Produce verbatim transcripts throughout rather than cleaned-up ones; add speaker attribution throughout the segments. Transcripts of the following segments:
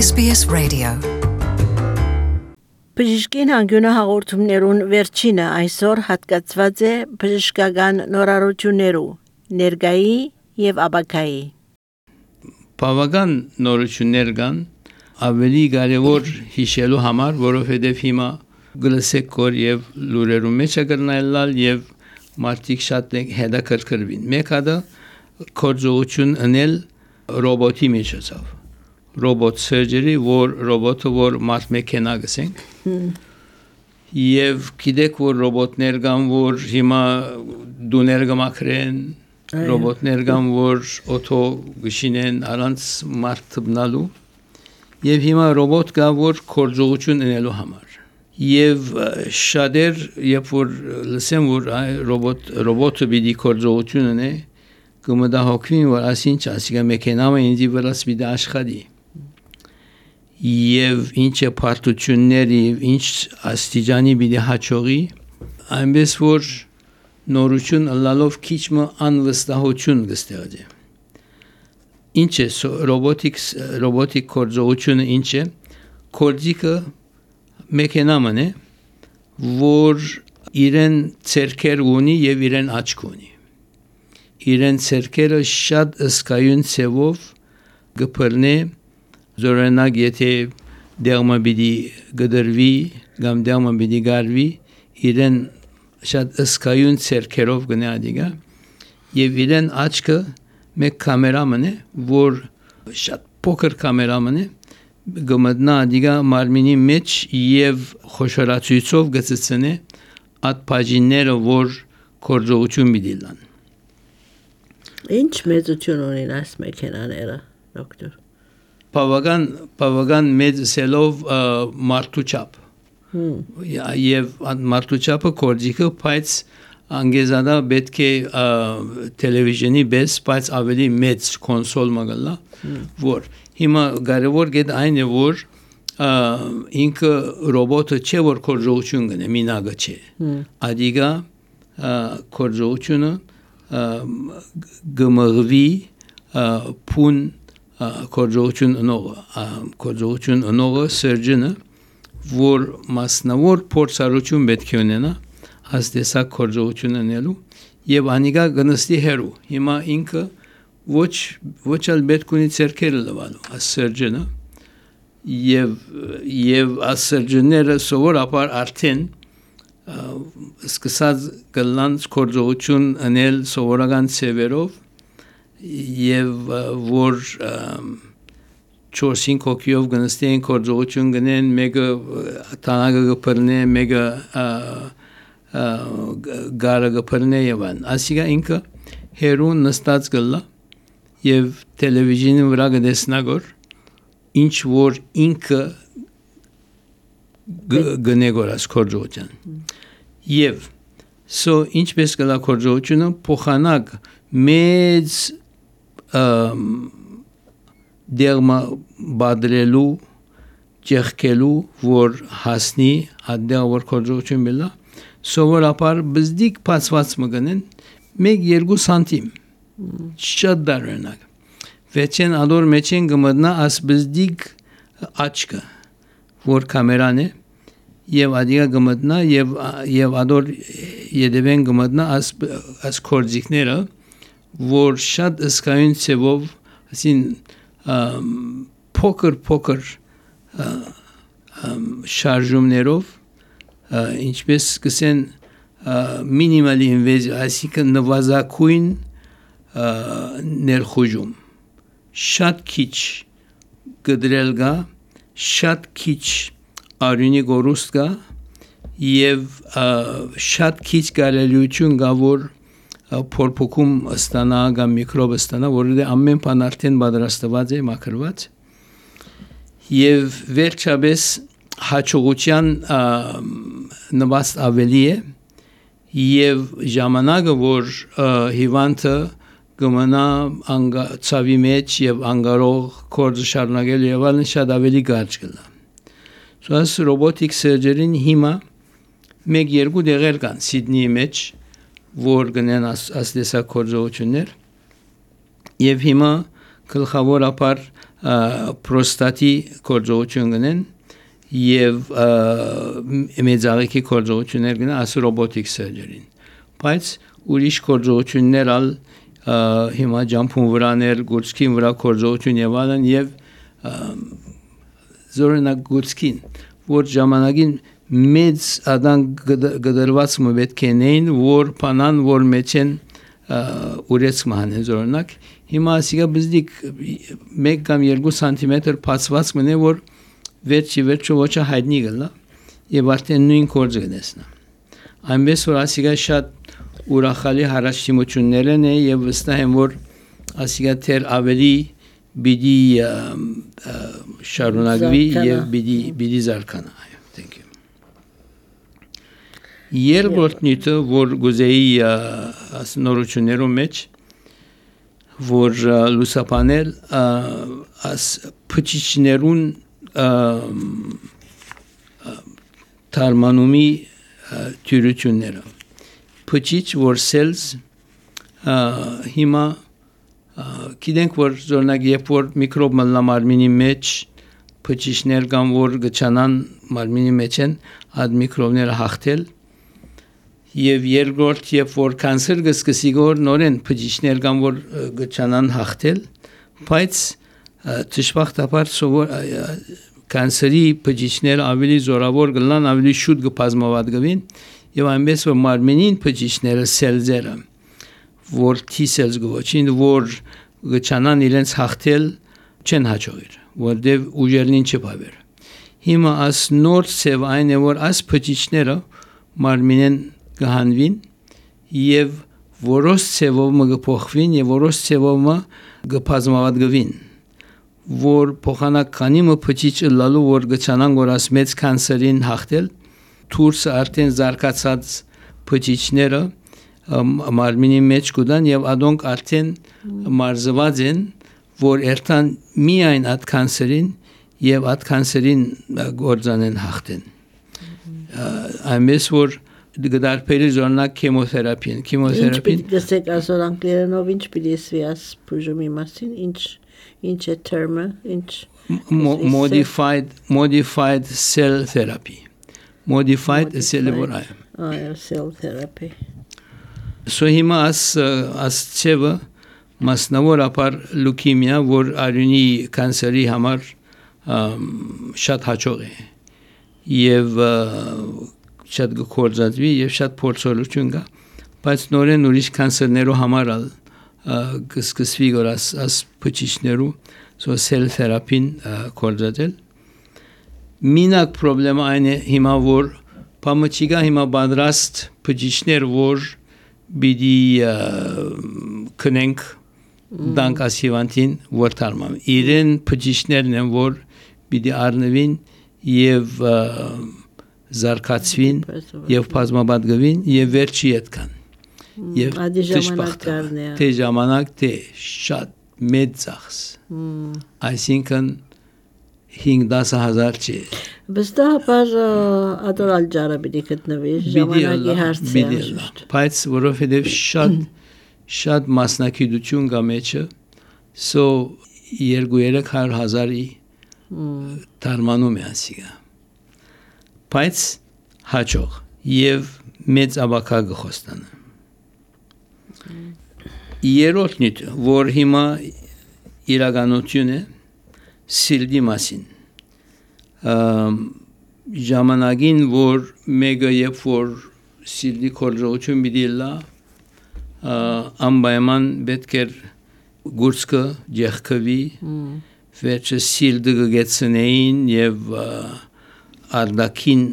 Speaker 1: S B S Radio.
Speaker 2: Բժշկին հանգյունը հաղորդումներուն վերջինը այսօր հատկացված է բժշկական նորարարություններու, ներգայի եւ ապագայի։
Speaker 3: Բավական նորություններ կան, ավելի կարևոր հիշելու համար, որովհետև հիմա գլսեք կոր եւ լուրերու մեջ կգրնայլալ եւ մարդիկ շատ հետաքրքրվին։ Մեկ հատը կորձողություն անել ռոբոտի միջոցով։ Robot surgery, որ ռոբոտը որ մարդ մեքենա գսենք եւ գիտեք որ ռոբոտներ կան որ հիմա դուներ կմաքրեն ռոբոտներ կան որ օտո գշինեն առանց մարդ թբնալու եւ հիմա ռոբոտ կա որ կորձողություն ունելու համար եւ շատեր երբ որ լսեմ որ ռոբոտ ռոբոտը պիտի կորձողություն ունի կմտահոգվին որ ասինչ ասիկա մեքենամը ինձ վրաս պիտի աշխատի եւ ինչ է պարտությունների ինչ աստիճանի պիտի հաջողի այնպես որ նորություն լալով քիչը անվստահություն կստեղծի ինչ է ռոբոտիկս ռոբոտիկ կորձողությունը ինչ է կորձիկը մեքենաման է որ իրեն ցերքեր ունի եւ իրեն աչք ունի իրեն ցերքերը շատ ըսկայուն ցևով գբրնե Զորենակ եթե դերմա բիդի գդրվի կամ դերմա բիդի գարվի իրեն շատ ըսկայուն ցերքերով գնադիգա եւ իրեն աչքը մեկ կամերաման է որ շատ փոքր կամերաման է գմտնա դիգա մարմինի մեջ եւ խոշորացույցով գծցնե այդ բաժինները որ կորձողություն բիդիլան
Speaker 2: Ինչ մեծություն ունին այս մեքենաները դոկտոր
Speaker 3: Բավական բավական մեծ սելով մարդու չափ եւ մարդու չափը կորձիկը բայց անգեզադա պետք է տելևիզիոնի բես բայց ավելի մեծ կոնսոլ մագալա որ հիմա կարևոր գետ այն է որ ինքը ռոբոտը չէ որ կորձողություն կնե մինագը չէ ադիգա կորձողությունը գմղվի փուն կորձողություն ունողը կորձողություն ունողը սերջինը որ մասնավոր փորձառություն պետք է ունենա հաստեսակ կորձողություն ունելու եւ անիգա գնստի հերու հիմա ինքը ոչ ոչ ալ պետք ունի ցերքերը լվալու սերջինը եւ եւ սերջինները սովորաբար արդեն սկսած գլան կորձողություն անել սովորական ցևերով եւ որ չորսին կոկիով գնստեն կորձողություն գնեն մեկը տանագը գբրնե մեկը գարը գբրնե եւան ասիգա ինքը հերուն նստած գլա եւ տելևիզիոնի վրա գտեսնագոր ինչ որ ինքը գնեգորած կորձողության եւ so ինչպես գլա կորձողությունը փոխանակ մեծ դերմա բادرելու ճեղքելու որ հասնի ադեր որ կորձողություն բելա սովորաբար բզդիկ փածված մգնեն մեկ երկու սանտիմ շատ դառնակ վեճեն ադոր մեջեն գմտնա աս բզդիկ աչքը որ կամերան է եւ ադիգա գմտնա եւ եւ ադոր յեդևեն գմտնա աս աս կորձիկները որ շատ ըսկայուն ցևով ասին փոքր փոքր շարժումներով ինչպես կսեն մինիմալի ինվեզիա այսինքն նվազագույն ներխուժում շատ քիչ գդրել գա շատ քիչ արյունի գորուստ գա եւ շատ քիչ կարելիություն գա որ փորփոքում ստանա կամ միկրոբ ստանա որը ամեն բան արդեն պատրաստված է մաքրված եւ վերջապես հաջողության նվաստ ավելի է եւ ժամանակը որ հիվանդը կմնա ցավի մեջ եւ անգարող կորձ շարունակել եւ այլն շատ ավելի կարճ կլա սոս ռոբոտիկ սերջերին հիմա մեկ երկու դեղեր կան Սիդնեի մեջ որ գնեն ասդեսակ կորձողություններ եւ հիմա գլխավորապես պրոստատի կորձողություն գնեն եւ մեծաղիքի կորձողություններ գնեն աս ռոբոտիկ surgery-ին բայց ուրիշ կորձողություններ ալ հիմա ջամփուն վրաներ գուցքին վրա կորձողություն եւ այլն եւ զորնակ գուցքին որ ժամանակին մեծ ադան գդրված մը պետք է նեին որ փանան որ մեջեն ուրեց մահանեն զորնակ հիմա ասիգա բզդիկ մեկ կամ երկու սանտիմետր փածված մնե որ վերջի վերջո ոչա հայտնի գլա եւ արդեն նույն կորձը գնեսնա այնպես որ ասիգա շատ ուրախալի հարաշտիմություններ են եւ վստահ եմ որ ասիգա թեր ավելի բիդի շարունակվի եւ բիդի բիդի զարգանա thank you երկրորդ նյութը որ գուզեի նորություններում մեջ որ լուսապանել աս փչիչներուն թարմանումի թյուրությունները փչիչ որ cells հիմա գիտենք որ զորնակ երբ որ միկրոբ մնա մարմինի մեջ փչիչներ կամ որ գճանան մարմինի մեջ են այդ միկրոբները հաղթել եւ երկրորդ երբ որ կանսեր գսկսի գոր նորեն փչիչներ կամ որ գճանան հաղթել բայց դժբախտաբար սովոր կանսերի փչիչներ ավելի զորավոր գլան ավելի շուտ գբազմավատ գվին եւ այնպես որ մարմինին փչիչները սելզերը որ T cells գոչին որ գճանան իրենց հաղթել չեն հաջողիր որտեվ ուժերին չփավեր հիմա աս նոր ծև այն է որ աս փչիչները մարմինեն գահանվին եւ որոշ ծևով մը գփոխվին եւ որոշ ծևով մը գբազմավատ գվին որ փոխանականի մը փչիչ լալու որ գճանան որ աս մեծ կանսերին հաղթել թուրս արդեն զարգացած փչիչները մարմինի մեջ կուտան եւ ադոնք արդեն մարզված են որ երթան միայն այդ կանսերին եւ այդ կանսերին գործանեն հաղթեն այնպես որ դարբերի զորնակ քեմոթերապիան քեմոթերապին
Speaker 2: ինչ դեսեք ասոր անգլերենով ինչ պիտի ասվի բուժումի մասին ինչ ինչ է term-ը ինչ
Speaker 3: modified modified cell therapy modified cellular
Speaker 2: այո cell therapy
Speaker 3: so հիմա as as ծևը մասնավորապես լուկեմիա որ արյունի կանսերի համար շատ հաջող է եւ շատ գործածվի եւ շատ փորձառություն կա բայց նորեն ուրիշ կանսերներու համար կսկսվի որ as as փչիչներու so cell therapy-ին գործածել մինակ պրոբլեմը այն է հիմա որ պամուչիգա հիմա բادرաստ փչիչներ որ բիդի կնենք դանք ասիվանտին որ թարմամ իրեն փչիչներն են որ բիդի առնվին եւ զարգացվին եւ բազմաբադգվին եւ վերջի ետքան եւ դժբախտաբար թե ժամանակ թե շատ մեծ ծախս այսինքն հինգ-դաս հազար չի
Speaker 2: վստահաբար ադորալ ջարը պիտի գտնվի ժամանակի հարցը
Speaker 3: բայց որովհետեւ շատ շատ մասնակցություն կա մեջը so երկու-երեք հազարի թարմանում է ասիգա բայց հաջող եւ մեծ աբակա գխոստանը երրորդ նյութը որ հիմա իրականություն է սիլդի մասին ժամանակին որ մեգա երբ որ սիլդի կորձողություն պիտի լա անպայման պետք է գուրսկը ջեղքվի վերջը սիլդը գեցնեին եւ արդակին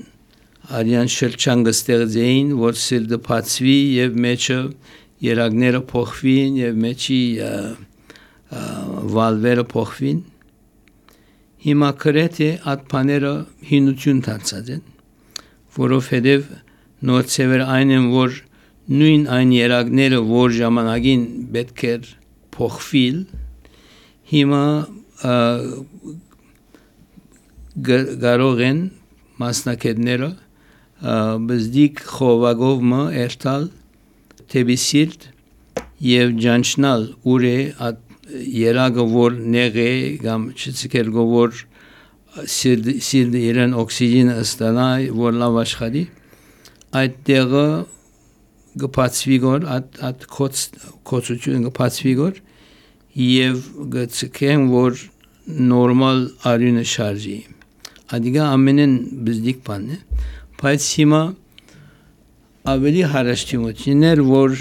Speaker 3: արյան շրջան գստեղծեին որ սիլդը փածվի եւ մեջը երակները փոխվին եւ մեջի վալվերը փոխվին հիմա կրեթե այդ բաները հինություն դարձած են որովհետեւ նոր ծևեր այն են որ նույն այն երակները որ ժամանակին պետք է փոխվիլ հիմա կարող են մասնակիցները բզդիկ խովագով մը երթալ թեբիսիլտ եւ ջանչնալ ուր է այդ երագը որ նեղե կամ չցկել գոր սիրտ իրեն օքսիգենը ստանա որ լավ աշխատի այդ տեղը գպացվի գոր at at կոց կոծություն գպացվի գոր եւ գցկեն որ նորմալ արյունը շարժի Adică ամենեն բզդիկ բան է բայց հիմա ավելի հարաշտիմություններ որ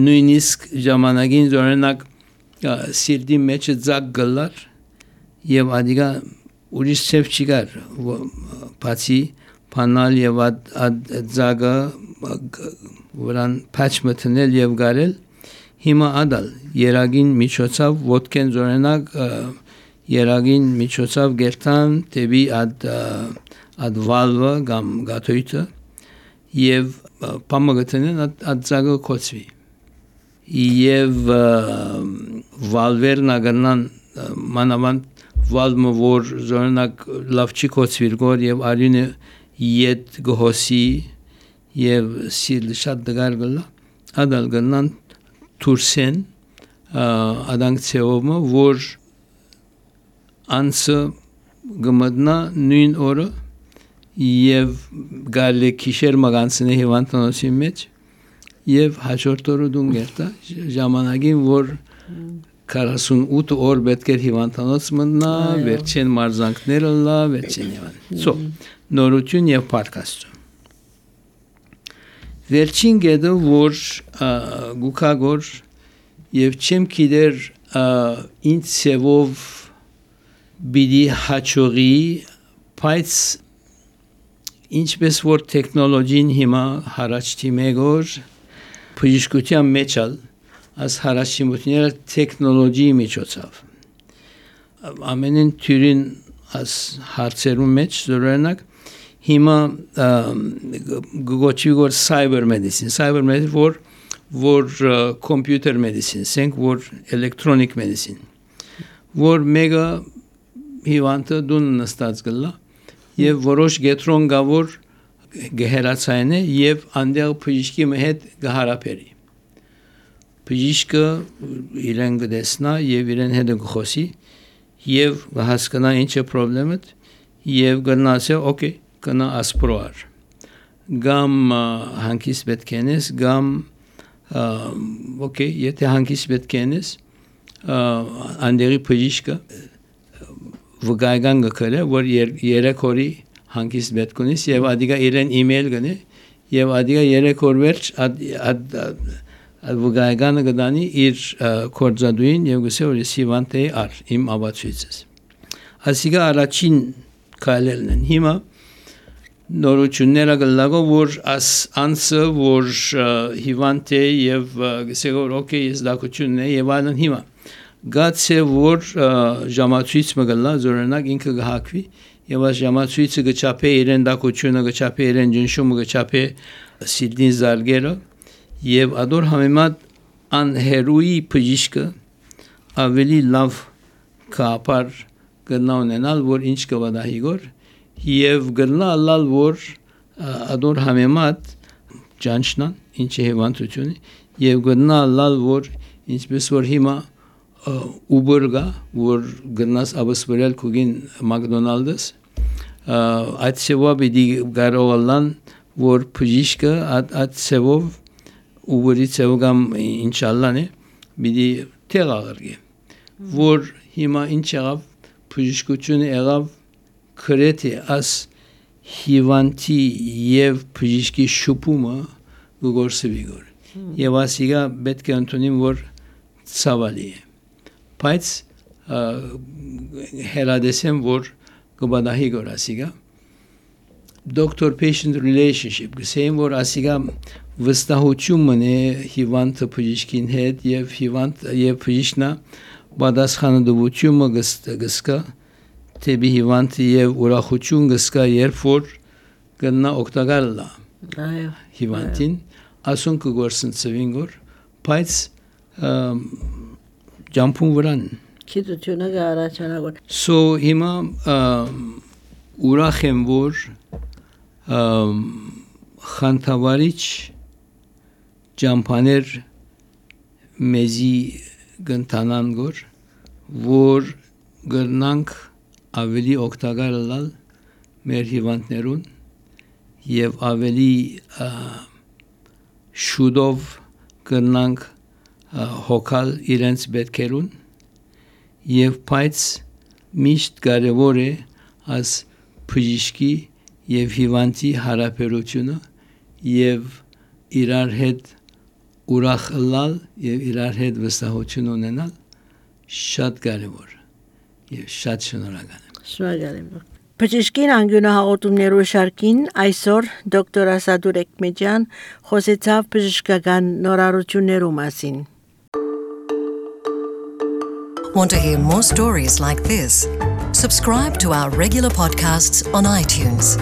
Speaker 3: նույնիսկ ժամանակին օրինակ սիրտի մեջը ձակ գլար եւ adică ուրիշ չեվ չկար բացի բանալ եւ այդ ձագը որան patch մտնել եւ գարել հիմա ադալ երագին միջոցով ոդկեն օրինակ Երագին միջոցով գերտան տեբի այդ այդ վալվը կամ գաթոյթը եւ պամագտնեն այդ ձագը կոծվի եւ վալվերն ագնան մանավանդ վալմը որ զորնակ լավ չի կոծվիր գոր եւ արյունը իդ գոհսի եւ սիլ շատ դգար գլա ադալ գնան турսեն adank ցեովը որ անցը գմտնա նույն օրը եւ գալի քիշեր մագանցնի հիվանդանոցի մեջ եւ հաջորդ օրը դուն գերտա ժամանակին որ քառասունութ օր պետք է հիվանդանոց մտնա վերջին մարզանքները լա վերջին հիվանդ so նորություն եւ պարկաստու վերջին գեդը որ գուքագոր եւ չեմ գիտեր ինձ ցեվով Բիդի հաչողի բայց ինչպես որ տեխնոլոգին հիմա հարաճտի մեգոր բժշկության մեջալ as հարաճիմությունները տեխնոլոգիի միջոցով ամենին թյուրին as հարցերում մեջ զորենակ հիմա գոչի որ cyber medicine cyber medicine որ որ computer medicine ասենք որ electronic medicine որ մեգա հիվանդը դուն նստած գլա եւ որոշ գետրոն գավոր գեհերացային է եւ անդեղ բժիշկի հետ գահարապերի բժիշկը իրեն գտեսնա եւ իրեն հետ գխոսի եւ հասկանա ինչ է խնդրեմը եւ գնացե օքեյ կնա ասպրոար գամ հանկիս պետք ենես գամ օքեյ եթե հանկիս պետք ենես անդերի բժիշկը վգայգան գքրե որ երեք օրի հանգիստ պետք ունես եւ ադիգա իրեն email գնե եւ ադիգա երեք օր վերջ ad վգայգանը գդանի իր կորձադուին եւ գսե որ սիվանտե ար իմ ավացույցս ասիգա առաջին կայլելն են հիմա նորությունները գլագո որ as answer որ հիվանտե եւ գսե որ օքեյ զդակությունն է եւ այլն հիմա Գացե որ ժամացույց մգլա զորենակ ինքը գահակվի եւ այս ժամացույցը գճապե իրեն դակությունը գճապե իրեն ջնշումը գճապե սիդին զարգերը եւ ադոր համեմատ անհերուի բժիշկը ավելի լավ կապար գնա ունենալ որ ինչ կվադահի գոր եւ գնա լալ որ ադոր համեմատ ջանչնան ինչ է հիվանդությունը եւ գնա լալ որ ինչպես որ հիմա Uber-գա, որ գնաս abısvrel կուգին McDonald's, այդ սևով իդի գարողալան, որ բժիշկը այդ սևով Uber-ի սևով կամ ինշալլան է, բիդի տեղ աղրգի, որ հիմա ինչ եղավ, բժիշկությունը եղավ կրետ է աս հիվանդի եւ բժիշկի շուպումը գորսվի գոր, եւ ասիգա պետք է ընդունիմ, որ ցավալի է բայց հերադեսեմ որ գբադահի գոր ասիգա doctor patient relationship գսեին որ ասիգա վստահությունն է հիվանդը բժիշկին հետ եւ հիվանդ եւ բժիշկնա բադասխանադվությունը գսկա տեբի հիվանդը եւ ուրախություն գսկա երբ որ գնա օգտակար լա այո հիվանդին ասուն կգորսնցվին գոր բայց Ջամփուն վրան
Speaker 2: Քիդությունը գարաչանագոր
Speaker 3: So հիմա ուրախ եմ որ խանթավարիչ ջամփաներ մեզի գնտանան գոր որ գնանք ավելի օգտակար լալ մեր հիվանդներուն եւ ավելի շուտով գնանք հոգալ իրենց պետքերուն եւ բայց միշտ կարեւոր է as բժիշկի եւ հիվանդի հարաբերությունը եւ իրար հետ ուրախ լալ եւ իրար հետ վստահություն ունենալ շատ կարեւոր եւ շատ շնորհակալ եմ։
Speaker 2: Շնորհակալ եմ։ Բժշկին անգյունահաղորդումներու շարքին այսօր դոկտոր Ասադուր Էկմեջյան խոսեցավ բժշկական նորարարություններու մասին։
Speaker 1: Want to hear more stories like this? Subscribe to our regular podcasts on iTunes.